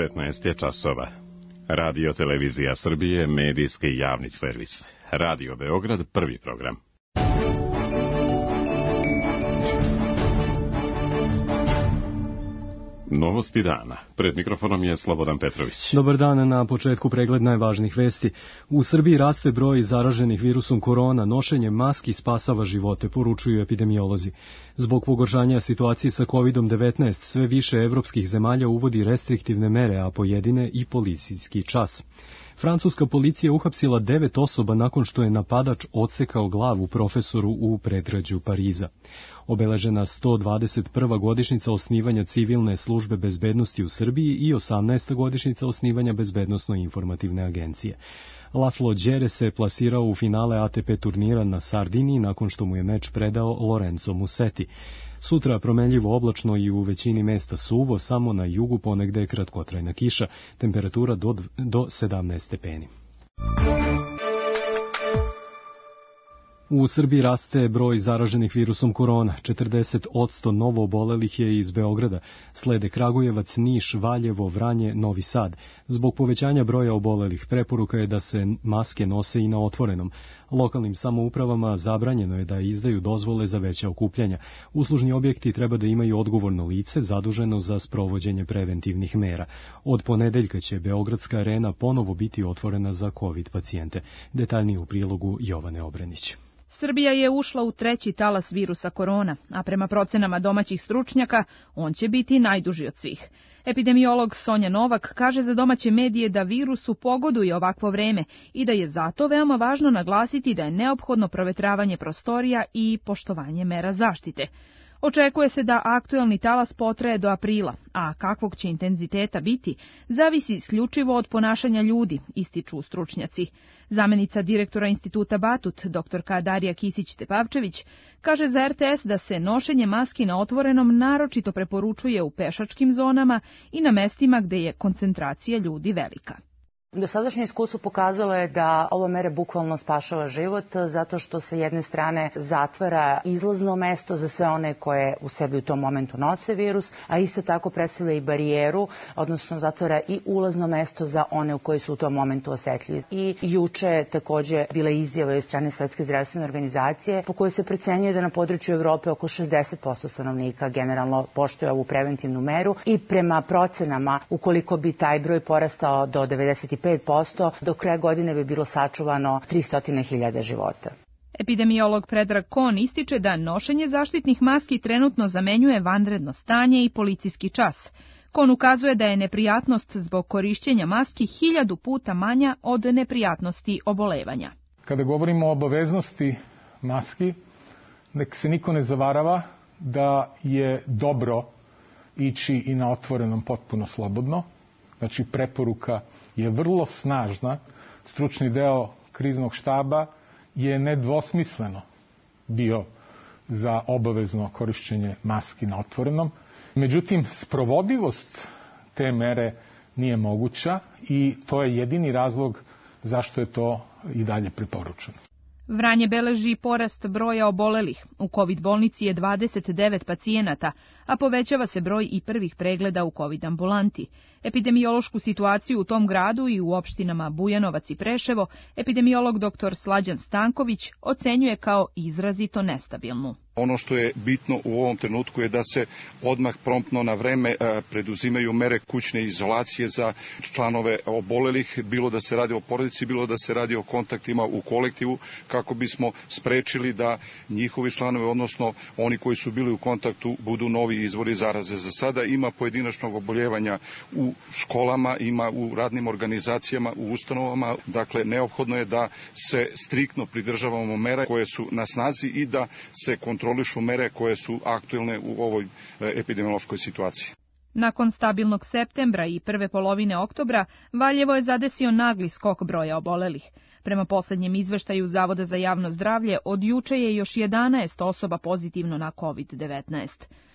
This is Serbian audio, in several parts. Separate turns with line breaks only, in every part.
15 je časova. Radio Televizija Srbije, medijski javni servis. Radio Beograd, prvi program. Novosti dana. Pred mikrofonom je Slobodan Petrović.
Dobar dan, na početku pregled najvažnijih vesti. U Srbiji raste broj zaraženih virusom korona, nošenje maski spasava živote, poručuju epidemiolozi. Zbog pogoršanja situacije sa COVID-19, sve više evropskih zemalja uvodi restriktivne mere, a pojedine i policijski čas. Francuska policija uhapsila 9 osoba nakon što je napadač odsekao glavu profesoru u predgrađu Pariza. Obeležena 121. godišnjica osnivanja civilne službe bezbednosti u Srbiji i 18. godišnjica osnivanja bezbednosno-informativne agencije. Laslo Đere se plasirao u finale ATP turnira na Sardiniji nakon što mu je meč predao Lorenzo Musetti. Sutra promenljivo oblačno i u većini mesta suvo, samo na jugu ponegde kratkotrajna kiša, temperatura do 17 stepeni. U Srbiji raste broj zaraženih virusom korona. 40% novo obolelih je iz Beograda. Slede Kragujevac, Niš, Valjevo, Vranje, Novi Sad. Zbog povećanja broja obolelih preporuka je da se maske nose i na otvorenom. Lokalnim samoupravama zabranjeno je da izdaju dozvole za veća okupljanja. Uslužni objekti treba da imaju odgovorno lice zaduženo za sprovođenje preventivnih mera. Od ponedeljka će Beogradska arena ponovo biti otvorena za COVID pacijente. Detaljnije u prilogu Jovane Obrenić.
Srbija je ušla u treći talas virusa korona, a prema procenama domaćih stručnjaka, on će biti najduži od svih. Epidemiolog Sonja Novak kaže za domaće medije da virusu pogoduje ovakvo vreme i da je zato veoma važno naglasiti da je neophodno provetravanje prostorija i poštovanje mera zaštite. Očekuje se da aktuelni talas potraje do aprila, a kakvog će intenziteta biti, zavisi isključivo od ponašanja ljudi, ističu stručnjaci. Zamenica direktora instituta Batut, dr. Darija Kisić-Tepavčević, kaže za RTS da se nošenje maski na otvorenom naročito preporučuje u pešačkim zonama i na mestima gde je koncentracija ljudi velika.
Dosadašnje iskustvo pokazalo je da ova mera bukvalno spašava život zato što se jedne strane zatvara izlazno mesto za sve one koje u sebi u tom momentu nose virus, a isto tako predstavlja i barijeru, odnosno zatvara i ulazno mesto za one u koji su u tom momentu osetljivi. I juče je takođe bila izjava od strane Svetske zdravstvene organizacije po kojoj se procenjuje da na području Evrope oko 60% stanovnika generalno poštuje ovu preventivnu meru i prema procenama ukoliko bi taj broj porastao do 95%, do kraja godine bi bilo sačuvano 300.000 života.
Epidemiolog Predrag Kon ističe da nošenje zaštitnih maski trenutno zamenjuje vanredno stanje i policijski čas. Kon ukazuje da je neprijatnost zbog korišćenja maski 1000 puta manja od neprijatnosti obolevanja.
Kada govorimo o obaveznosti maski, nek se niko ne zavarava da je dobro ići i na otvorenom potpuno slobodno. Znači, preporuka je vrlo snažna. Stručni deo kriznog štaba je nedvosmisleno bio za obavezno korišćenje maski na otvorenom. Međutim, sprovodivost te mere nije moguća i to je jedini razlog zašto je to i dalje preporučeno.
Vranje beleži porast broja obolelih. U COVID bolnici je 29 pacijenata, a povećava se broj i prvih pregleda u COVID ambulanti. Epidemiološku situaciju u tom gradu i u opštinama Bujanovac i Preševo epidemiolog dr. Slađan Stanković ocenjuje kao izrazito nestabilnu.
Ono što je bitno u ovom trenutku je da se odmah promptno na vreme preduzimaju mere kućne izolacije za članove obolelih, bilo da se radi o porodici, bilo da se radi o kontaktima u kolektivu, kako bismo sprečili da njihovi članovi, odnosno oni koji su bili u kontaktu, budu novi izvori zaraze. Za sada ima pojedinačnog oboljevanja u školama, ima u radnim organizacijama, u ustanovama, dakle neophodno je da se striktno pridržavamo mera koje su na snazi i da se kontrolišu mere koje su aktuelne u ovoj epidemiološkoj situaciji.
Nakon stabilnog septembra i prve polovine oktobra, Valjevo je zadesio nagli skok broja obolelih. Prema poslednjem izveštaju Zavoda za javno zdravlje, od juče je još 11 osoba pozitivno na COVID-19.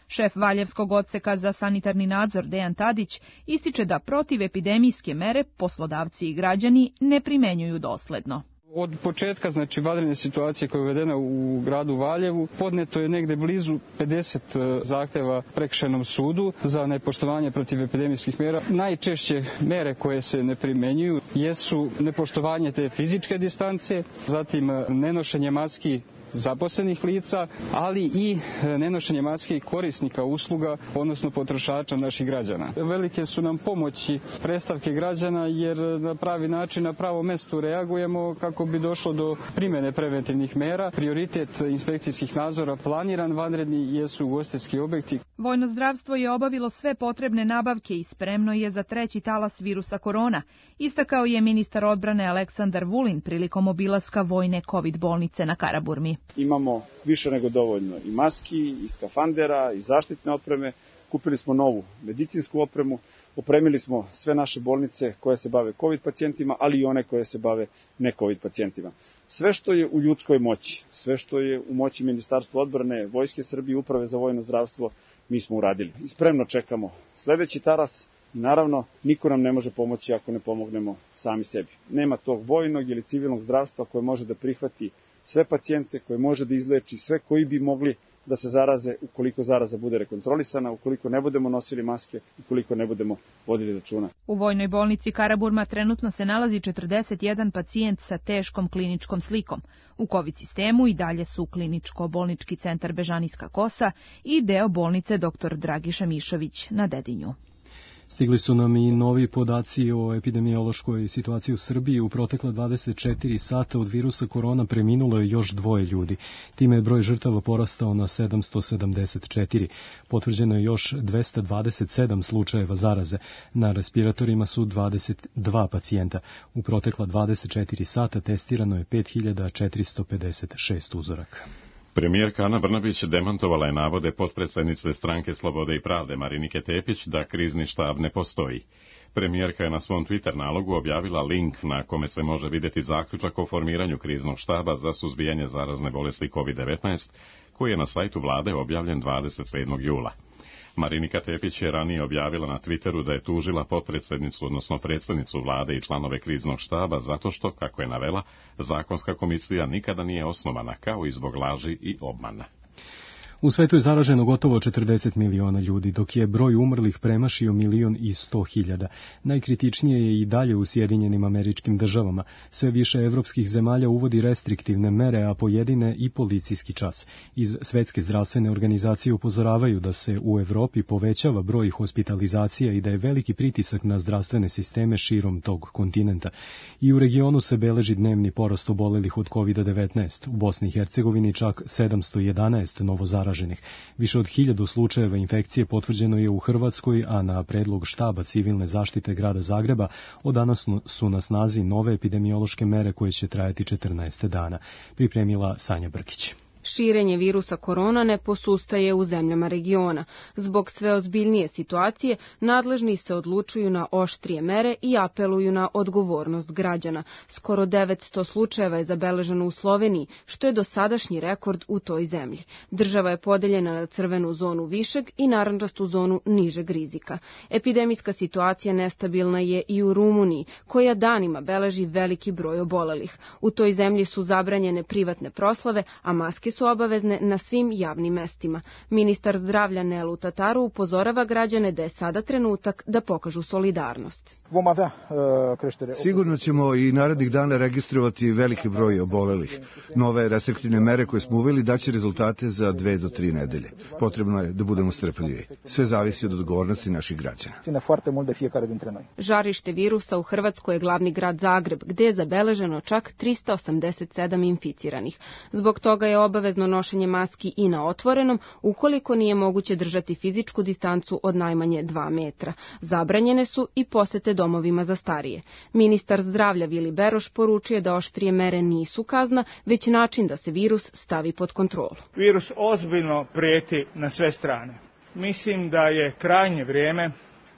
Šef Valjevskog odseka za sanitarni nadzor Dejan Tadić ističe da protivepidemijske mere poslodavci i građani ne primenjuju dosledno.
Od početka, vanredne situacije koja je uvedena u gradu Valjevu, podneto je negde blizu 50 zahteva prekršajnom sudu za nepoštovanje protiv epidemijskih mera. Najčešće mere koje se ne primenjuju jesu nepoštovanje te fizičke distance, zatim nenošenje maski zaposlenih lica, ali i nenošenje maske korisnika usluga, odnosno potrošača naših građana. Velike su nam pomoći predstavke građana jer na pravi način, na pravo mesto reagujemo kako bi došlo do primjene preventivnih mera. Prioritet inspekcijskih nadzora planiran vanredni jesu ugostiteljski objekti.
Vojno zdravstvo je obavilo sve potrebne nabavke i spremno je za treći talas virusa korona, istakao je ministar odbrane Aleksandar Vulin prilikom obilaska vojne COVID bolnice na Karaburmi.
Imamo više nego dovoljno i maski, i skafandera, i zaštitne opreme. Kupili smo novu medicinsku opremu, opremili smo sve naše bolnice koje se bave COVID pacijentima, ali i one koje se bave ne COVID pacijentima. Sve što je u ljudskoj moći, sve što je u moći Ministarstva odbrane, Vojske Srbije, Uprave za vojno zdravstvo, mi smo uradili. I spremno čekamo sledeći talas. Naravno, niko nam ne može pomoći ako ne pomognemo sami sebi. Nema tog vojnog ili civilnog zdravstva koje može da prihvati sve pacijente, koje može da izleči sve koji bi mogli da se zaraze ukoliko zaraza bude rekontrolisana, ukoliko ne budemo nosili maske, ukoliko ne budemo vodili računa.
U vojnoj bolnici Karaburma trenutno se nalazi 41 pacijent sa teškom kliničkom slikom. U COVID sistemu i dalje su kliničko-bolnički centar Bežanijska Kosa i deo bolnice dr. Dragiša Mišović na Dedinju.
Stigli su nam i novi podaci o epidemiološkoj situaciji u Srbiji. U protekla 24 sata od virusa korona preminulo je još 2 ljudi. Time je broj žrtava porastao na 774. Potvrđeno je još 227 slučajeva zaraze. Na respiratorima su 22 pacijenta. U protekla 24 sata testirano je 5456 uzoraka.
Premijerka Ana Brnabić demantovala je navode potpredsjednice Stranke Slobode i pravde Marinike Tepić da krizni štab ne postoji. Premijerka je na svom Twitter nalogu objavila link na kome se može vidjeti zaključak o formiranju kriznog štaba za suzbijanje zarazne bolesti COVID-19, koji je na sajtu vlade objavljen 27. jula. Marinika Tepić je ranije objavila na Twitteru da je tužila potpredsjednicu, odnosno predsjednicu vlade i članove kriznog štaba zato što, kako je navela, zakonska komisija nikada nije osnovana, kao i zbog laži i obmana.
U svetu je zaraženo gotovo 40 miliona ljudi, dok je broj umrlih premašio 1.100.000. Najkritičnije je i dalje u Sjedinjenim Američkim Državama. Sve više evropskih zemalja uvodi restriktivne mere, a pojedine i policijski čas. Iz Svetske zdravstvene organizacije upozoravaju da se u Evropi povećava broj hospitalizacija i da je veliki pritisak na zdravstvene sisteme širom tog kontinenta. I u regionu se beleži dnevni porast obolelih od COVID-19. U Bosni i Hercegovini čak 711 novozaraženih. Više od 1000 slučajeva infekcije potvrđeno je u Hrvatskoj, a na predlog štaba civilne zaštite grada Zagreba od danas su na snazi nove epidemiološke mere koje će trajati 14 dana. Pripremila Sanja Brkić.
Širenje virusa korona ne posustaje u zemljama regiona. Zbog sve ozbiljnije situacije, nadležni se odlučuju na oštrije mere i apeluju na odgovornost građana. Skoro 900 slučajeva je zabeleženo u Sloveniji, što je dosadašnji rekord u toj zemlji. Država je podeljena na crvenu zonu višeg i narandžastu zonu nižeg rizika. Epidemijska situacija nestabilna je i u Rumuniji, koja danima beleži veliki broj obolelih. U toj zemlji su zabranjene privatne proslave, a maske su obavezne na svim javnim mestima. Ministar zdravlja Nelu Tataru upozorava građane da je sada trenutak da pokažu solidarnost.
Sigurno ćemo i narednih dana registrovati veliki broj obolelih. Nove restriktivne mere koje smo uveli daće rezultate za 2 do 3 nedelje. Potrebno je da budemo strpljivi. Sve zavisi od odgovornosti naših građana.
Žarište virusa u Hrvatskoj je glavni grad Zagreb, gde je zabeleženo čak 387 inficiranih. Zbog toga je obavezno nošenje maski i na otvorenom, ukoliko nije moguće držati fizičku distancu od najmanje 2 metra. Zabranjene su i posete domovima za starije. Ministar zdravlja Vili Beroš poručuje da oštrije mere nisu kazna, već način da se virus stavi pod kontrolu.
Virus ozbiljno prijeti na sve strane. Mislim da je krajnje vrijeme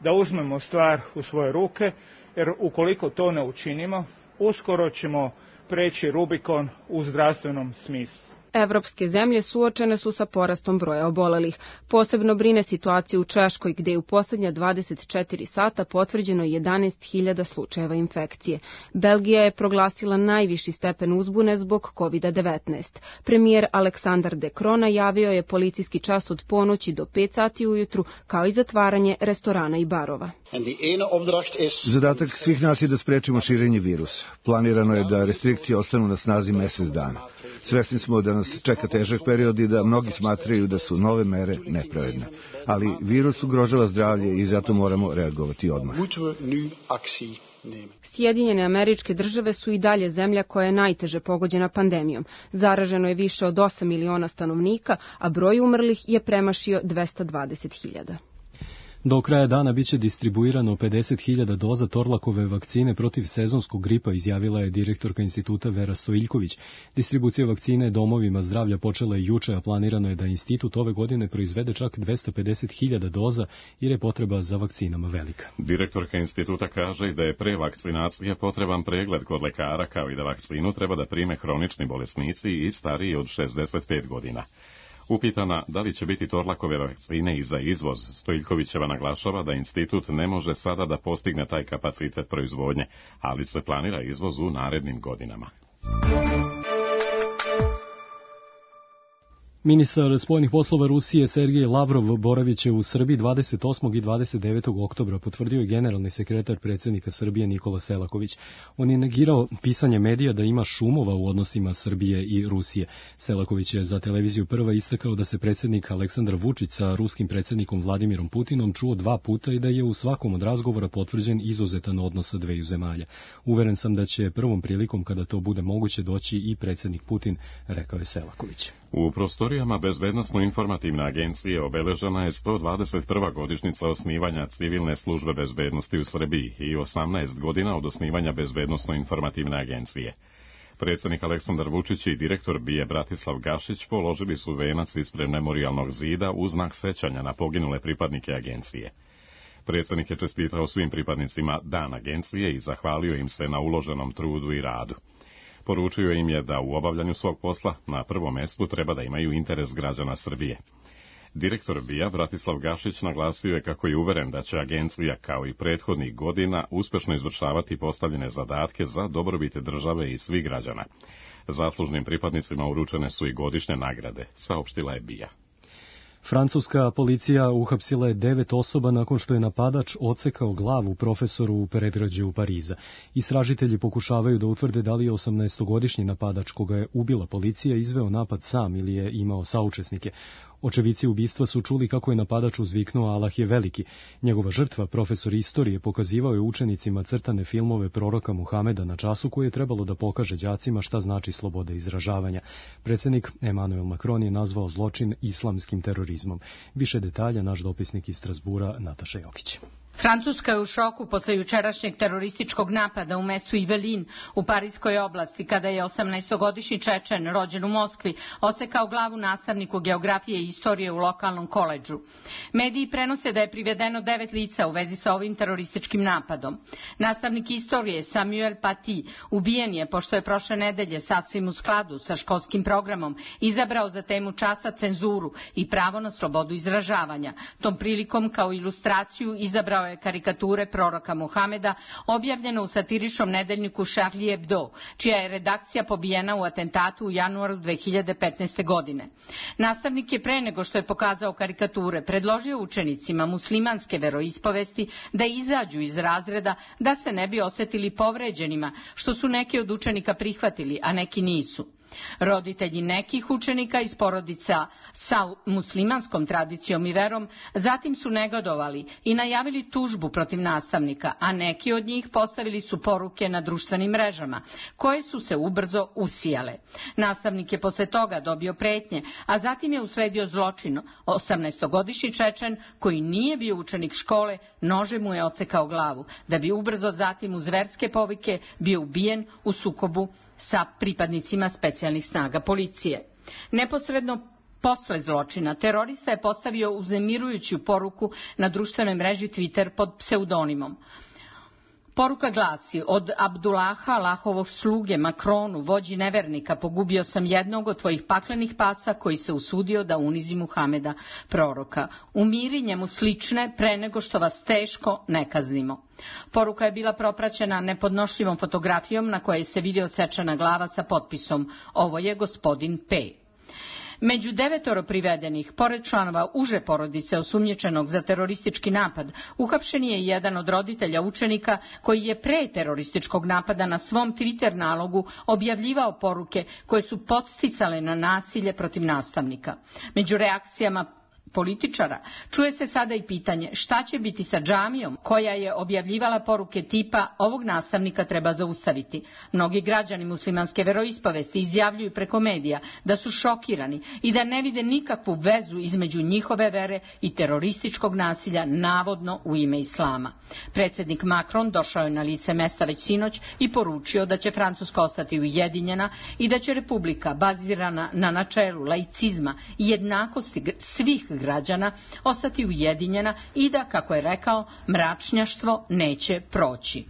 da uzmemo stvar u svoje ruke, jer ukoliko to ne učinimo, uskoro ćemo preći Rubikon u zdravstvenom smislu.
Evropske zemlje suočene su sa porastom broja obolelih. Posebno brine situacija u Češkoj, gde je u posljednja 24 sata potvrđeno 11.000 slučajeva infekcije. Belgija je proglasila najviši stepen uzbune zbog COVID-19. Premijer Aleksandar De Croo najavio je policijski čas od ponoći do 5 sati ujutru, kao i zatvaranje restorana i barova.
Zadatak svih nas je da sprečimo širenje virusa. Planirano je da restrikcije ostanu na snazi mjesec dana. Svesni smo da nas čeka težak period i da mnogi smatraju da su nove mere nepravedne. Ali virus ugrožava zdravlje i zato moramo reagovati odmah.
Sjedinjene Američke Države su i dalje zemlja koja je najteže pogođena pandemijom. Zaraženo je više od 8 miliona stanovnika, a broj umrlih je premašio 220.000.
Do kraja dana biće distribuirano 50.000 doza Torlakove vakcine protiv sezonskog gripa, izjavila je direktorka instituta Vera Stojiljković. Distribucija vakcine domovima zdravlja počela je juče, a planirano je da institut ove godine proizvede čak 250.000 doza jer je potreba za vakcinama velika.
Direktorka instituta kaže da je pre vakcinacije potreban pregled kod lekara, kao i da vakcinu treba da prime hronični bolesnici i stariji od 65 godina. Upitana da li će biti Torlakove vakcine i za izvoz, Stojiljkovićeva naglašava da institut ne može sada da postigne taj kapacitet proizvodnje, ali se planira izvoz u narednim godinama.
Ministar spoljnih poslova Rusije Sergej Lavrov boravit će u Srbiji 28. i 29. oktobra, potvrdio je generalni sekretar predsjednika Srbije Nikola Selaković. On je negirao pisanje medija da ima šumova u odnosima Srbije i Rusije. Selaković je za televiziju Prva istakao da se predsjednik Aleksandar Vučić sa ruskim predsjednikom Vladimirom Putinom čuo 2 puta i da je u svakom od razgovora potvrđen izuzetan odnos dveju zemalja. Uveren sam da će prvom prilikom kada to bude moguće doći i predsjednik Putin, rekao je Selaković.
U prostorijama Bezbednosno-informativne agencije obeležena je 121. godišnjica osnivanja civilne službe bezbednosti u Srbiji i 18 godina od osnivanja Bezbednosno-informativne agencije. Predsjednik Aleksandar Vučić i direktor BIA Bratislav Gašić položili su venac ispred memorijalnog zida u znak sećanja na poginule pripadnike agencije. Predsjednik je čestitao svim pripadnicima Dan agencije i zahvalio im se na uloženom trudu i radu. Poručio im je da u obavljanju svog posla na prvom mjestu treba da imaju interes građana Srbije. Direktor BIA Bratislav Gašić naglasio je kako je uveren da će agencija kao i prethodnih godina uspješno izvršavati postavljene zadatke za dobrobit države i svih građana. Zaslužnim pripadnicima uručene su i godišnje nagrade, saopštila je BIA.
Francuska policija uhapsila je 9 osoba nakon što je napadač odsekao glavu profesoru u predgrađu Pariza. Istražitelji pokušavaju da utvrde da li je 18-godišnji napadač koga je ubila policija izveo napad sam ili je imao saučesnike. Očevici ubistva su čuli kako je napadač uzviknuo Allah je veliki. Njegova žrtva, profesor istorije, pokazivao je učenicima crtane filmove proroka Muhameda na času koje je trebalo da pokaže đacima šta znači sloboda izražavanja. Predsjednik Emmanuel Macron je nazvao zločin islamskim terorizmom. Više detalja naš dopisnik iz Strasbura Nataša Jokić.
Francuska je u šoku posle jučerašnjeg terorističkog napada u mestu Yvelines u Parijskoj oblasti, kada je 18-godišnji Čečen, rođen u Moskvi, odsekao glavu nastavniku geografije i istorije u lokalnom koledžu. Mediji prenose da je privedeno 9 lica u vezi sa ovim terorističkim napadom. Nastavnik istorije Samuel Paty ubijen je pošto je prošle nedelje sasvim u skladu sa školskim programom izabrao za temu časa cenzuru i pravo na slobodu izražavanja. Tom prilikom kao ilustraciju izabrao je karikature proroka Muhameda objavljene u satiričnom nedeljniku Charlie Hebdo, čija je redakcija pobijena u atentatu u januaru 2015. godine. Nastavnik je pre nego što je pokazao karikature predložio učenicima muslimanske veroispovesti da izađu iz razreda da se ne bi osetili povređenima, što su neki od učenika prihvatili, a neki nisu. Roditelji nekih učenika iz porodica sa muslimanskom tradicijom i verom zatim su negodovali i najavili tužbu protiv nastavnika, a neki od njih postavili su poruke na društvenim mrežama, koje su se ubrzo usijale. Nastavnik je posle toga dobio pretnje, a zatim je usledio zločin. 18-godišnji Čečen, koji nije bio učenik škole, nožem mu je odsekao glavu, da bi ubrzo zatim uz verske povike bio ubijen u sukobu sa pripadnicima specijalnih snaga policije. Neposredno posle zločina terorista je postavio uznemirujuću poruku na društvenoj mreži Twitter pod pseudonimom. Poruka glasi: od Abdullaha, Allahovog sluge, Makronu, vođi nevernika, pogubio sam jednog od tvojih paklenih pasa koji se usudio da unizi Muhameda, proroka. Umiri njemu slične pre nego što vas teško ne kaznimo. Poruka je bila propraćena nepodnošljivom fotografijom na kojoj se vidi odsečena glava sa potpisom: ovo je gospodin P. Među 9 privedenih, pored članova uže porodice osumnjičenog za teroristički napad, uhapšen je jedan od roditelja učenika koji je pre terorističkog napada na svom Twitter nalogu objavljivao poruke koje su podsticale na nasilje protiv nastavnika. Među reakcijama političara čuje se sada i pitanje šta će biti sa džamijom koja je objavljivala poruke tipa ovog nastavnika treba zaustaviti. Mnogi građani muslimanske veroispovesti izjavljuju preko medija da su šokirani i da ne vide nikakvu vezu između njihove vere i terorističkog nasilja navodno u ime islama. Predsjednik Macron došao je na lice mesta već sinoć i poručio da će Francuska ostati ujedinjena i da će republika bazirana na načelu laicizma i jednakosti svih građana ostati ujedinjena i da, kako je rekao, mračnjaštvo neće proći.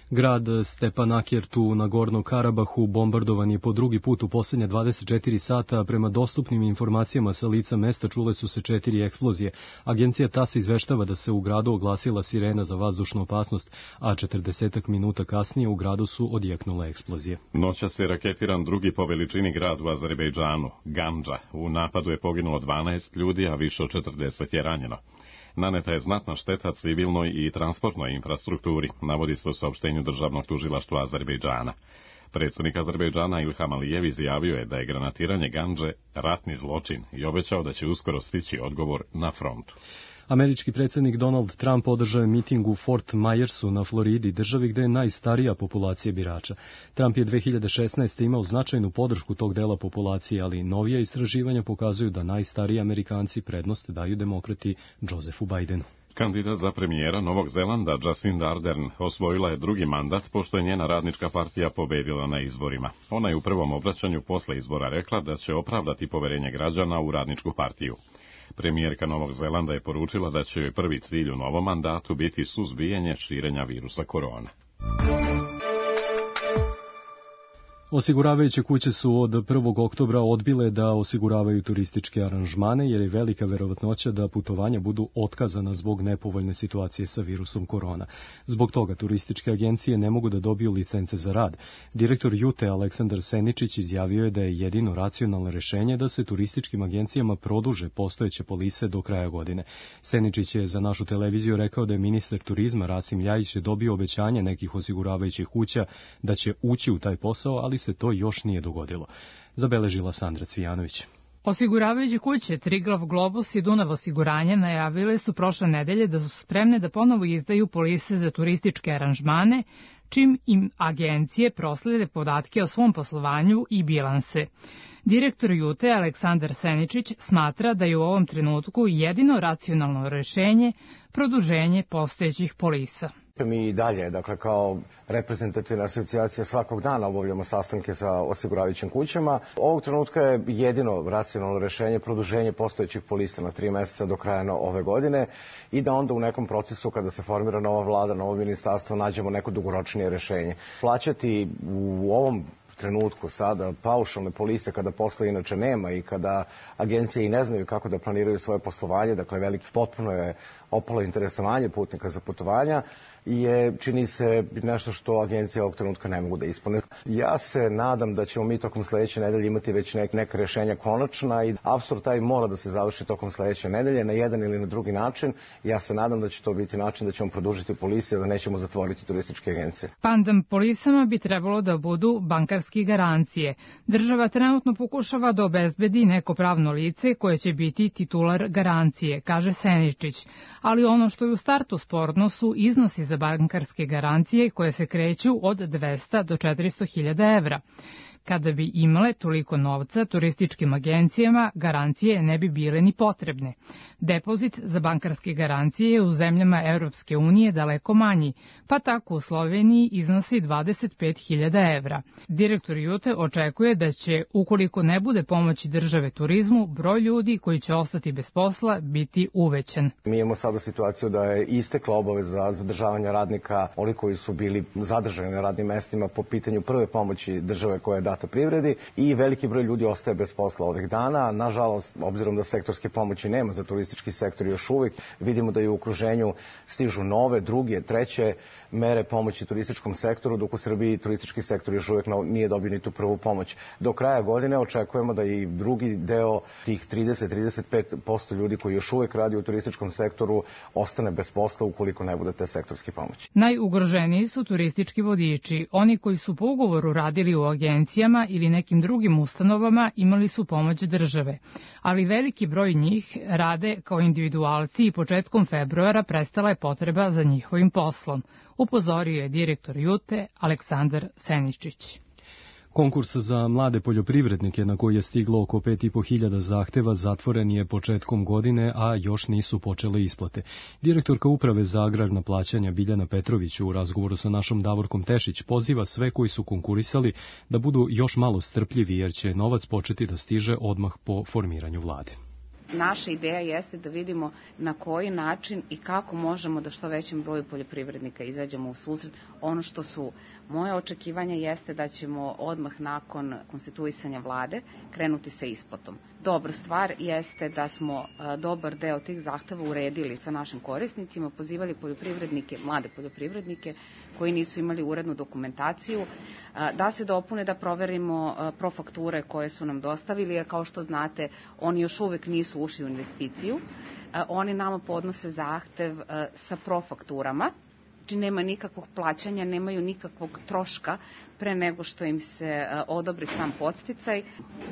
Grad Stepanakert u Nagorno Karabahu bombardovan je po drugi put u posljednja 24 sata. Prema dostupnim informacijama sa lica mesta čule su se 4 eksplozije. Agencija TASS izveštava da se u gradu oglasila sirena za vazdušnu opasnost, a 40 minuta kasnije u gradu su odjeknule eksplozije.
Noćas je raketiran drugi po veličini grad u Azerbejdžanu, Gandža. U napadu je poginulo 12 ljudi, a više od 40 je ranjeno. Naneta je znatna šteta civilnoj i transportnoj infrastrukturi, navodi se u saopštenju Državnog tužilaštva Azerbejdžana. Predsjednik Azerbejdžana Ilham Alijev izjavio je da je granatiranje Gandže ratni zločin i obećao da će uskoro stići odgovor na frontu.
Američki predsjednik Donald Trump održao je miting u Fort Myersu na Floridi, državi gde je najstarija populacija birača. Trump je 2016. imao značajnu podršku tog dela populacije, ali novija istraživanja pokazuju da najstariji Amerikanci prednost daju demokrati Josephu Bidenu.
Kandidat za premijera Novog Zelanda Jacinda Ardern osvojila je drugi mandat pošto je njena radnička partija pobedila na izborima. Ona je u prvom obraćanju posle izbora rekla da će opravdati poverenje građana u radničku partiju. Premijerka Novog Zelanda je poručila da će joj prvi cilj u novom mandatu biti suzbijanje širenja virusa korona.
Osiguravajuće kuće su od 1. oktobra odbile da osiguravaju turističke aranžmane jer je velika verovatnoća da putovanja budu otkazana zbog nepovoljne situacije sa virusom korona. Zbog toga turističke agencije ne mogu da dobiju licence za rad. Direktor Jute Aleksandar Seničić izjavio je da je jedino racionalno rešenje da se turističkim agencijama produže postojeće polise do kraja godine. Seničić je za našu televiziju rekao da je ministar turizma Rasim Ljajić dobio obećanje nekih osiguravajućih kuća da će ući u taj posao, ali se to još nije dogodilo. Zabeležila Sandra Cvijanović.
Osiguravajuće kuće Triglav Globus i Dunav osiguranje najavile su prošle nedelje da su spremne da ponovo izdaju polise za turističke aranžmane, čim im agencije proslede podatke o svom poslovanju i bilanse. Direktor Jute Aleksandar Seničić smatra da je u ovom trenutku jedino racionalno rešenje produženje postojećih polisa.
Mi i dalje, dakle, kao reprezentativna asocijacija svakog dana obavljamo sastanke sa osiguravajućim kućama. Ovog trenutka je jedino racionalno rešenje produženje postojećih polisa na 3 meseca do kraja ove godine i da onda u nekom procesu kada se formira nova vlada, novo ministarstvo, nađemo neko dugoročnije rešenje. Plaćati u ovom trenutku sada paušalne polise kada posla inače nema i kada agencije i ne znaju kako da planiraju svoje poslovanje, dakle veliki potpuno je opalo interesovanje putnika za putovanja, je, čini se, nešto što agencije ovog trenutka ne mogu da ispune. Ja se nadam da ćemo mi tokom sledeće nedelje imati već neka rešenja konačna i apsurd taj mora da se završi tokom sledeće nedelje na jedan ili na drugi način. Ja se nadam da će to biti način da ćemo produžiti polise, da nećemo zatvoriti turističke agencije.
Pandem polisama bi trebalo da budu bankarske garancije. Država trenutno pokušava da obezbedi neko pravno lice koje će biti titular garancije, kaže Seničić. Ali ono što je u startu sporno su iznosi za bankarske garancije koje se kreću od 200 do 400.000 evra. Kada bi imale toliko novca, turističkim agencijama garancije ne bi bile ni potrebne. Depozit za bankarske garancije je u zemljama Europske unije daleko manji, pa tako u Sloveniji iznosi 25.000 evra. Direktor Jute očekuje da će, ukoliko ne bude pomoći države turizmu, broj ljudi koji će ostati bez posla biti uvećan.
Mi imamo sada situaciju da je istekla obaveza zadržavanja radnika, oni koji su bili zadržani na radnim mestima po pitanju prve pomoći države koja je data privredi i veliki broj ljudi ostaje bez posla ovih dana. Nažalost, obzirom da sektorske pomoći nema za turistički sektor još uvijek, vidimo da i u okruženju stižu nove, druge, treće mere pomoći turističkom sektoru, dok u Srbiji turistički sektor još uvijek nije dobio ni tu prvu pomoć. Do kraja godine očekujemo da i drugi deo tih 30-35% ljudi koji još uvijek radi u turističkom sektoru ostane bez posla ukoliko ne bude te sektorske pomoći.
Najugroženiji su turistički vodiči. Oni koji su po ugovoru radili u agencijama ili nekim drugim ustanovama imali su pomoć države, ali veliki broj njih rade kao individualci i početkom februara prestala je potreba za njihovim poslom, upozorio je direktor Jute Aleksandar Seničić.
Konkurs za mlade poljoprivrednike na koji je stiglo oko 5.500 zahteva zatvoren je početkom godine, a još nisu počele isplate. Direktorka Uprave za agrarna plaćanja Biljana Petrović u razgovoru sa našom Davorkom Tešić poziva sve koji su konkurisali da budu još malo strpljivi jer će novac početi da stiže odmah po formiranju vlade.
Naša ideja jeste da vidimo na koji način i kako možemo da što većem broju poljoprivrednika izađemo u susret. Ono što su moje očekivanja jeste da ćemo odmah nakon konstituisanja vlade krenuti sa isplatom. Dobra stvar jeste da smo dobar deo tih zahteva uredili sa našim korisnicima, pozivali poljoprivrednike, mlade poljoprivrednike koji nisu imali urednu dokumentaciju, da se dopune, da proverimo profakture koje su nam dostavili, jer kao što znate, oni još uvek nisu ušli u investiciju. Oni nama podnose zahtev sa profakturama, znači nema nikakvog plaćanja, nemaju nikakvog troška pre nego što im se odobri sam podsticaj.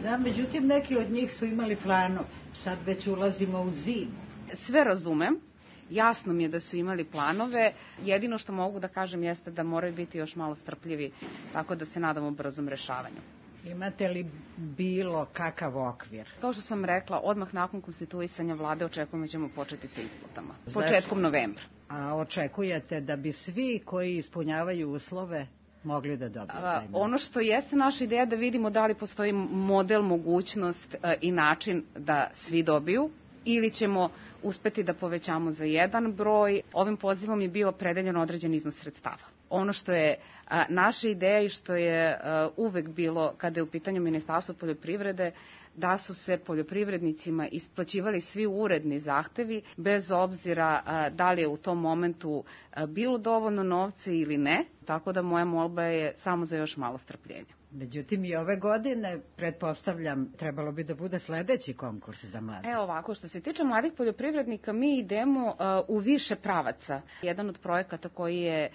Da, međutim, neki od njih su imali planove. Sad već ulazimo u zimu.
Sve razumem. Jasno mi je da su imali planove. Jedino što mogu da kažem jeste da moraju biti još malo strpljivi, tako da se nadamo brzom rešavanju.
Imate li bilo kakav okvir?
Kao što sam rekla, odmah nakon konstituisanja vlade očekujemo da ćemo početi sa isplatama. Početkom novembra.
A očekujete da bi svi koji ispunjavaju uslove mogli da dobiju taj novac?
Ono što jeste naša ideja da vidimo da li postoji model, mogućnost i način da svi dobiju, ili ćemo uspeti da povećamo za jedan broj. Ovim pozivom je bio opredeljen određen iznos sredstava. Ono što je naša ideja i što je uvek bilo kada je u pitanju Ministarstvo poljoprivrede, da su se poljoprivrednicima isplaćivali svi uredni zahtevi, bez obzira da li je u tom momentu bilo dovoljno novca ili ne, tako da moja molba je samo za još malo strpljenja.
Međutim, i ove godine, pretpostavljam, trebalo bi da bude sledeći konkurs za mlade.
Evo ovako, što se tiče mladih poljoprivrednika, mi idemo u više pravaca. Jedan od projekata koji je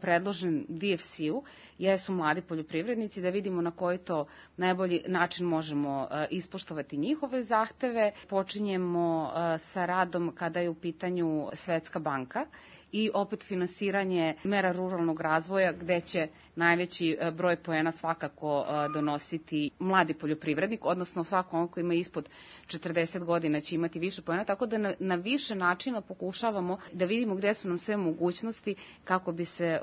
predložen DFC-u jesu mladi poljoprivrednici, da vidimo na koji to najbolji način možemo ispoštovati njihove zahteve. Počinjemo sa radom kada je u pitanju Svetska banka i opet finansiranje mera ruralnog razvoja, gde će najveći broj poena svakako donositi mladi poljoprivrednik, odnosno svako on koji ima ispod 40 godina će imati više poena, tako da na više načina pokušavamo da vidimo gde su nam sve mogućnosti kako bi se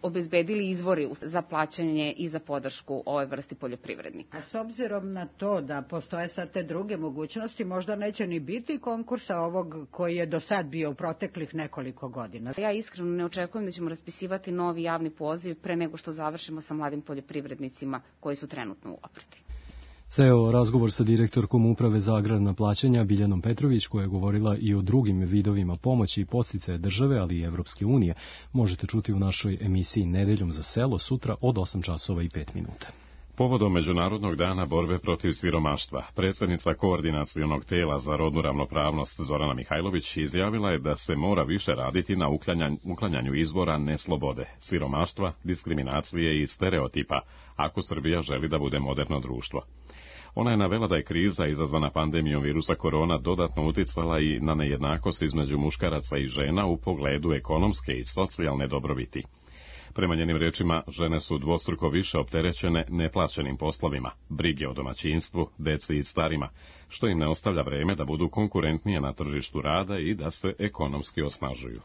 obezbedili izvori za plaćanje i za podršku ove vrsti poljoprivrednika.
A s obzirom na to da postoje sad te druge mogućnosti, možda neće ni biti konkursa ovog koji je do sad bio u proteklih nekoliko godina.
Ja iskreno ne očekujem da ćemo raspisivati novi javni poziv pre nego što završimo sa mladim poljoprivrednicima koji su trenutno u obrti.
Ceo razgovor sa direktorkom Uprave za agrarna plaćanja Biljanom Petrović, koja je govorila i o drugim vidovima pomoći i podsticaja države, ali i Evropske unije, možete čuti u našoj emisiji Nedeljom za selo sutra od 8:05.
Povodom Međunarodnog dana borbe protiv siromaštva, predsjednica Koordinacionog tela za rodnu ravnopravnost Zorana Mihajlović izjavila je da se mora više raditi na uklanjanju izvora neslobode, siromaštva, diskriminacije i stereotipa, ako Srbija želi da bude moderno društvo. Ona je navela da je kriza izazvana pandemijom virusa korona dodatno uticala i na nejednakost između muškaraca i žena u pogledu ekonomske i socijalne dobrobiti. Prema njenim rečima, žene su dvostruko više opterećene neplaćenim poslovima, brige o domaćinstvu, deci i starima, što im ne ostavlja vreme da budu konkurentnije na tržištu rada i da se ekonomski osnažuju.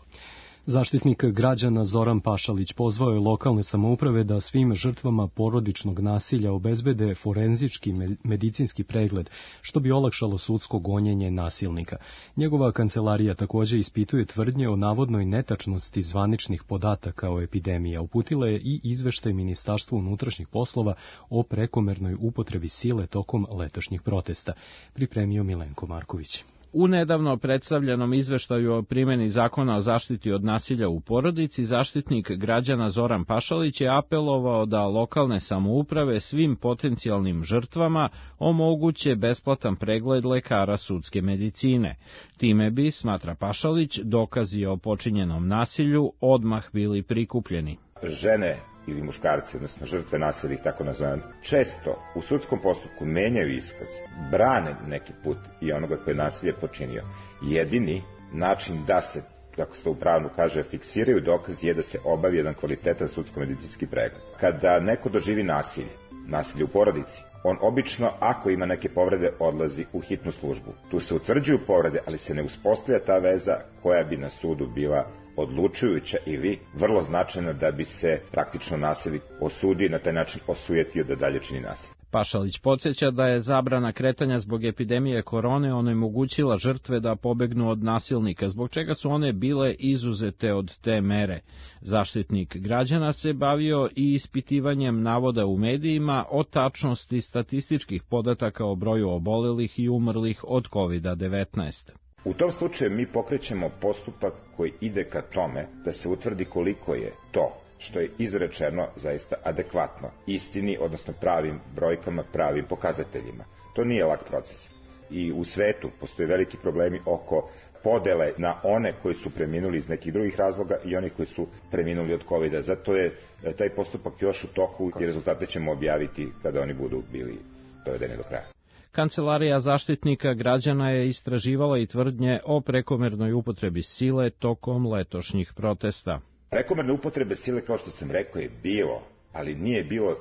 Zaštitnik građana Zoran Pašalić pozvao je lokalne samouprave da svim žrtvama porodičnog nasilja obezbede forenzički medicinski pregled, što bi olakšalo sudsko gonjenje nasilnika. Njegova kancelarija također ispituje tvrdnje o navodnoj netačnosti zvaničnih podataka o epidemiji. Uputila je i izveštaj Ministarstvu unutrašnjih poslova o prekomernoj upotrebi sile tokom letošnjih protesta. Pripremio Milenko Marković.
U nedavno predstavljenom izveštaju o primjeni zakona o zaštiti od nasilja u porodici, zaštitnik građana Zoran Pašalić je apelovao da lokalne samouprave svim potencijalnim žrtvama omoguće besplatan pregled lekara sudske medicine. Time bi, smatra Pašalić, dokazi o počinjenom nasilju odmah bili prikupljeni.
Žene ili muškarci, odnosno žrtve nasilja, tako nazvane, često u sudskom postupku menjaju iskaz, brane neki put i onoga koji je nasilje počinio. Jedini način da se, kako se to u pravu kaže, fiksiraju dokazi je da se obavi jedan kvalitetan sudsko-medicinski pregled. Kada neko doživi nasilje u porodici, on obično, ako ima neke povrede, odlazi u hitnu službu. Tu se utvrđuju povrede, ali se ne uspostavlja ta veza koja bi na sudu bila odlučujuća ili vrlo značajna da bi se praktično nasilnik osudio i na taj način osujetio da dalje čini nasilje.
Pašalić podsjeća da je zabrana kretanja zbog epidemije korone onemogućila žrtve da pobegnu od nasilnika, zbog čega su one bile izuzete od te mere. Zaštitnik građana se bavio i ispitivanjem navoda u medijima o tačnosti statističkih podataka o broju obolelih i umrlih od COVID-19.
U tom slučaju mi pokrećemo postupak koji ide ka tome da se utvrdi koliko je to što je izrečeno zaista adekvatno istini, odnosno pravim brojkama, pravim pokazateljima. To nije lak proces. I u svetu postoje veliki problemi oko podele na one koji su preminuli iz nekih drugih razloga i oni koji su preminuli od COVID-a. Zato je taj postupak još u toku i rezultate ćemo objaviti kada oni budu bili dovedeni do kraja.
Kancelarija zaštitnika građana je istraživala i tvrdnje o prekomernoj upotrebi sile tokom letošnjih protesta.
Prekomerne upotrebe sile, kao što sam rekao, je bilo, ali nije bilo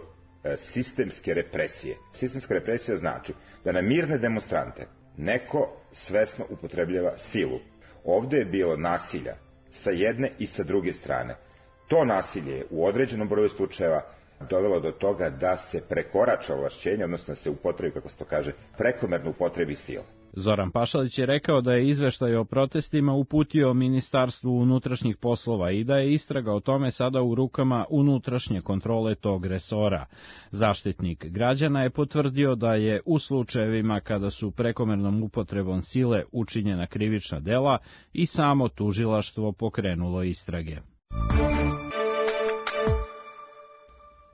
sistemske represije. Sistemska represija znači da na mirne demonstrante neko svesno upotrebljava silu. Ovdje je bilo nasilja sa jedne i sa druge strane. To nasilje je u određenom broju slučajeva dovelo do toga da se prekorača ovlašćenje, odnosno da se upotrebi, kako se to kaže, prekomerno upotrebi sile.
Zoran Pašalić je rekao da je izveštaj o protestima uputio Ministarstvu unutrašnjih poslova i da je istraga o tome sada u rukama unutrašnje kontrole tog resora. Zaštitnik građana je potvrdio da je u slučajevima kada su prekomernom upotrebom sile učinjena krivična dela i samo tužilaštvo pokrenulo istrage.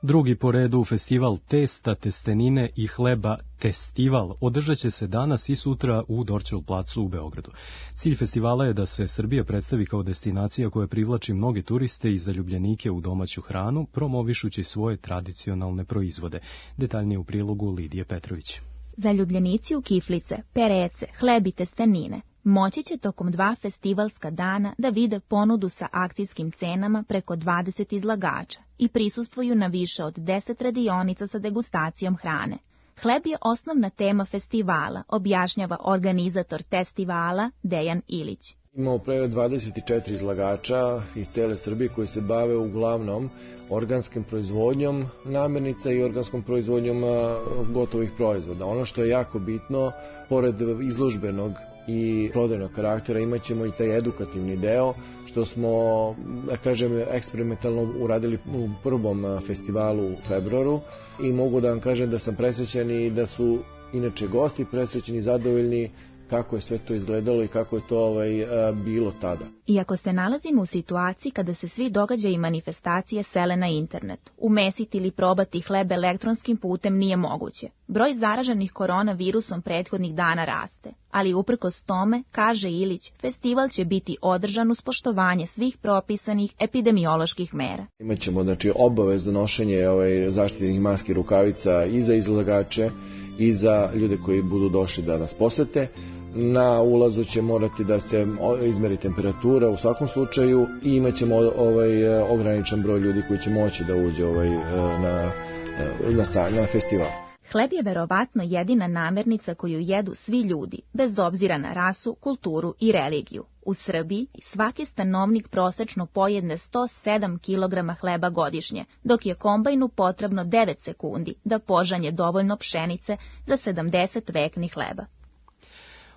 Drugi po redu festival testa, testenine i hleba Testival održat će se danas i sutra u Dorćol placu u Beogradu. Cilj festivala je da se Srbija predstavi kao destinacija koja privlači mnoge turiste i zaljubljenike u domaću hranu, promovišući svoje tradicionalne proizvode. Detaljnije u prilogu Lidije Petrović.
Zaljubljenici u kiflice, perece, hleb i testenine moći će tokom 2 festivalska dana da vide ponudu sa akcijskim cenama preko 20 izlagača i prisustvuju na više od 10 radionica sa degustacijom hrane. Hleb je osnovna tema festivala, objašnjava organizator festivala Dejan Ilić.
Imamo preko 24 izlagača iz cele Srbije koji se bave uglavnom organskim proizvodnjom namirnica i organskom proizvodnjom gotovih proizvoda. Ono što je jako bitno, pored izložbenog i prodajnog karaktera, imat ćemo i taj edukativni deo, što smo, da kažem, eksperimentalno uradili u prvom festivalu u februaru i mogu da vam kažem da sam presrećen i da su inače gosti presrećeni i zadovoljni kako je sve to izgledalo i kako je to bilo tada.
Iako se nalazimo u situaciji kada se svi događaji i manifestacije sele na internet, umesiti ili probati hleb elektronskim putem nije moguće. Broj zaraženih koronavirusom prethodnih dana raste, ali uprkos tome, kaže Ilić, festival će biti održan uz poštovanje svih propisanih epidemioloških mera.
Imaćemo obavezno nošenje zaštitnih maski, rukavica i za izlagače i za ljude koji budu došli da nas posete. Na ulazu će morati da se izmeri temperatura u slučaju i imat ćemo ograničen broj ljudi koji će moći da uđe na festival.
Hleb je verovatno jedina namirnica koju jedu svi ljudi, bez obzira na rasu, kulturu i religiju. U Srbiji svaki stanovnik prosečno pojedne 107 kg hleba godišnje, dok je kombajnu potrebno 9 sekundi da požanje dovoljno pšenice za 70 vekni hleba.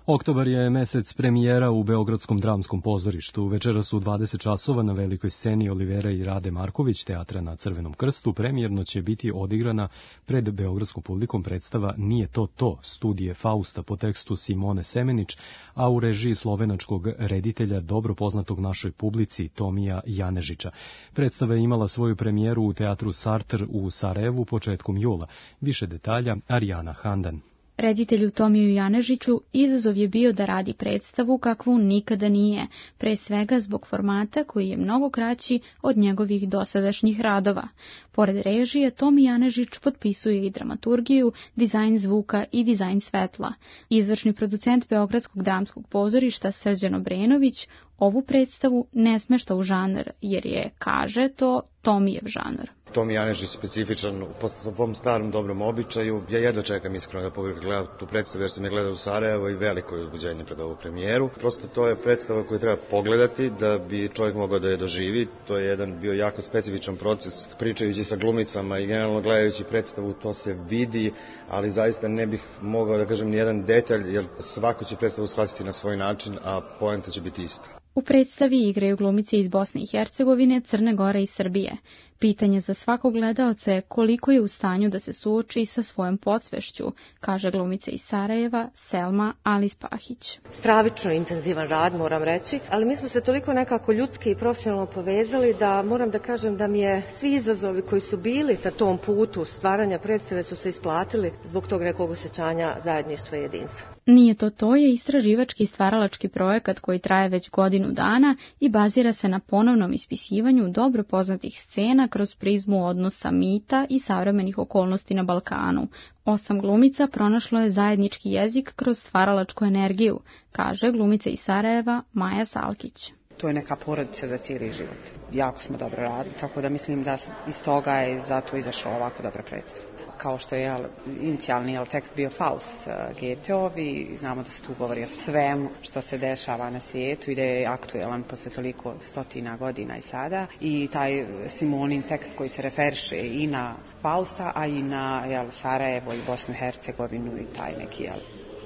Oktobar je mesec premijera u Beogradskom dramskom pozorištu. Večeras u 20 časova na velikoj sceni Olivera i Rade Marković teatra na Crvenom krstu premijerno će biti odigrana pred beogradskom publikom predstava Nije to, studije Fausta po tekstu Simone Semenić, a u režiji slovenačkog reditelja dobro poznatog našoj publici Tomija Janežića. Predstava je imala svoju premijeru u teatru Sartr u Sarajevu početkom jula. Više detalja Arijana Handan.
Reditelju Tomiju Janežiću izazov je bio da radi predstavu kakvu nikada nije, pre svega zbog formata koji je mnogo kraći od njegovih dosadašnjih radova. Pored režije, Tomi Janežić potpisuje i dramaturgiju, dizajn zvuka i dizajn svetla. Izvršni producent Beogradskog dramskog pozorišta Srđan Obrenović ovu predstavu ne smešta u žanr, jer je, kaže to, Tomijev žanr.
Tomi Janežić specifičan po tom starom dobrom običaju. Ja jedva čekam iskreno da publika gleda tu predstavu jer sam je gledao u Sarajevo i veliko je uzbuđenje pred ovu premijeru. Prosto to je predstava koju treba pogledati da bi čovjek mogao da je doživi. To je jedan bio jako specifičan proces. Pričajući sa glumicama i generalno gledajući predstavu to se vidi, ali zaista ne bih mogao da kažem ni jedan detalj jer svako će predstavu shvatiti na svoj način, a poenta će biti ista.
U predstavi igraju glumice iz Bosne i Hercegovine, Crne Gore i Srbije. Pitanje za svakog gledaoca je koliko je u stanju da se suoči sa svojom podsvešću, kaže glumica iz Sarajeva Selma Alis Pahić.
Stravično intenzivan rad, moram reći, ali mi smo se toliko nekako ljudski i profesionalno povezali da moram da kažem da mi je svi izazovi koji su bili na tom putu stvaranja predstave su se isplatili zbog tog nekog osjećanja zajedništva i jedinstva.
Nije to je istraživački i stvaralački projekat koji traje već godinu dana i bazira se na ponovnom ispisivanju dobro poznatih scena kroz prizmu odnosa mita i savremenih okolnosti na Balkanu. 8 glumica pronašlo je zajednički jezik kroz stvaralačku energiju, kaže glumica iz Sarajeva Maja Salkić.
To je neka porodica za cijeli život. Jako smo dobro radili, tako da mislim da iz toga je zato izašla ovako dobra predstava. Kao što je inicijalni tekst bio Faust Goetheov i znamo da se tu govori o svemu što se dešava na svijetu i da je aktuelan posle toliko stotina godina i sada. I taj Simonin tekst koji se referiše i na Fausta, a i na Sarajevo i Bosnu i Hercegovinu i taj neki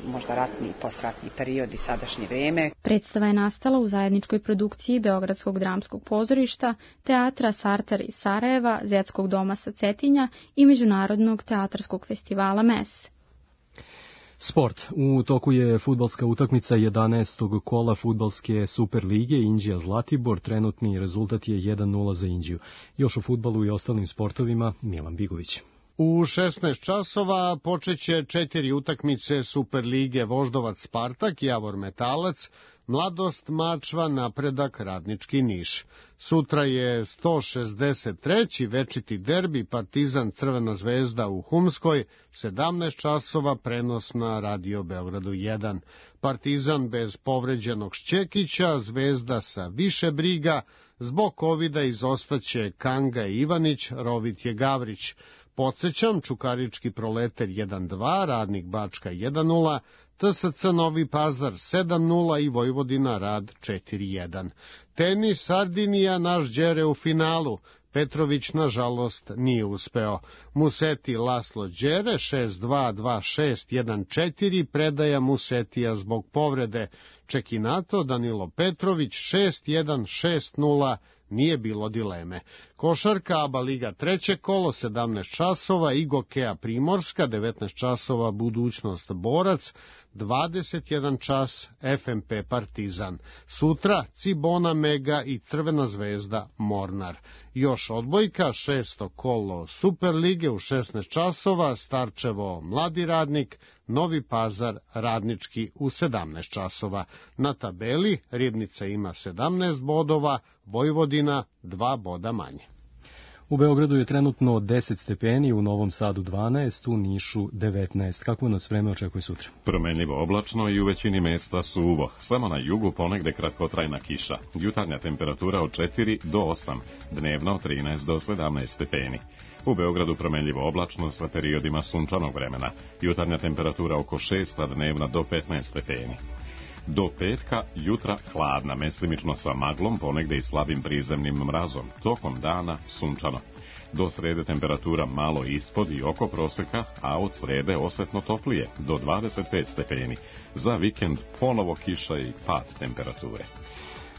možda ratni i postratni period i sadašnje vrijeme.
Predstava je nastala u zajedničkoj produkciji Beogradskog dramskog pozorišta, teatra Sartar iz Sarajeva, Zetskog doma sa Cetinja i Međunarodnog teatarskog festivala MES.
Sport. U toku je fudbalska utakmica 11. kola fudbalske Super lige Inđija Zlatibor. Trenutni rezultat je 1-0 za Inđiju. Još o fudbalu i ostalim sportovima Milan Bigović.
U 16 časova počeće 4 utakmice Super lige Voždovac Spartak, Javor Metalac, Mladost Mačva, Napredak Radnički Niš. Sutra je 163. večiti derbi Partizan Crvena zvezda u Humskoj, 17 časova prenos na Radio Beogradu 1. Partizan bez povređenog Šćekića, Zvezda sa više briga, zbog covida izostaće Kanga i Ivanić, Rovit je Gavrić. Podsećam, Čukarički Proleter 1-2, Radnik Bačka 1-0, TSC Novi Pazar 7-0 i Vojvodina Rad 4-1. Tenis Sardinija, naš Đere u finalu. Petrović, nažalost, nije uspeo. Museti Laslo Đere 6-2, 2-6, 1-4, predaja Musetija zbog povrede. Čekinato Danilo Petrović 6-1, 6-0, nije bilo dileme. Košarka ABA Liga 3. kolo 17 časova i Gokeja Primorska 19 časova Budućnost Borac, 21 čas FMP Partizan. Sutra Cibona Mega i Crvena zvezda Mornar. Još odbojka 6. kolo Super lige u 16 časova Starčevo Mladi Radnik, Novi Pazar Radnički u 17 časova. Na tabeli Ribnica ima 17 bodova, Vojvodina 2 boda manje.
U Beogradu je trenutno 10 stepeni, u Novom Sadu 12, u Nišu 19. Kako nas vreme očekuje sutra?
Promenljivo oblačno i u većini mesta suvo. Samo na jugu ponegde kratkotrajna kiša. Jutarnja temperatura od 4 do 8, dnevno 13 do 17 stepeni. U Beogradu promenljivo oblačno sa periodima sunčanog vremena. Jutarnja temperatura oko 6, a dnevna do 15 stepeni. Do petka jutra hladna, mestimično sa maglom, ponegde i slabim prizemnim mrazom. Tokom dana sunčano. Do srede temperatura malo ispod i oko proseka, a od srede osetno toplije, do 25 stepeni. Za vikend ponovo kiša i pad temperature.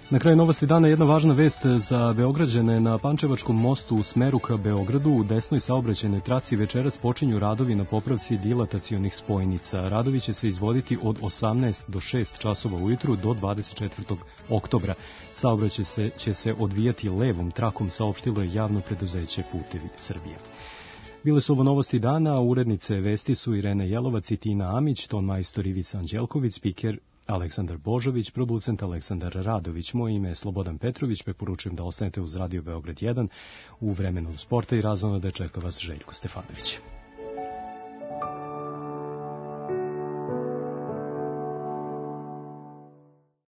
Na kraju novosti dana jedna važna vest za Beograđane. Na Pančevačkom mostu u smeru ka Beogradu u desnoj saobraćajnoj traci večeras počinju radovi na popravci dilatacionih spojnica. Radovi će se izvoditi od 18 do 6 časova ujutru do 24. oktobra. Saobraćaj će se odvijati levom trakom, saopštilo je javno preduzeće Putevi Srbije. Bile su ovo novosti dana, urednice vesti su Irena Jelovac i Tina Amić, ton majstor Ivica Anđelković, spiker Aleksandar Božović, producent Aleksandar Radović. Moje ime je Slobodan Petrović, preporučujem da ostanete uz Radio Beograd 1 u vremenu sporta i razonode čeka vas Željko Stefanović.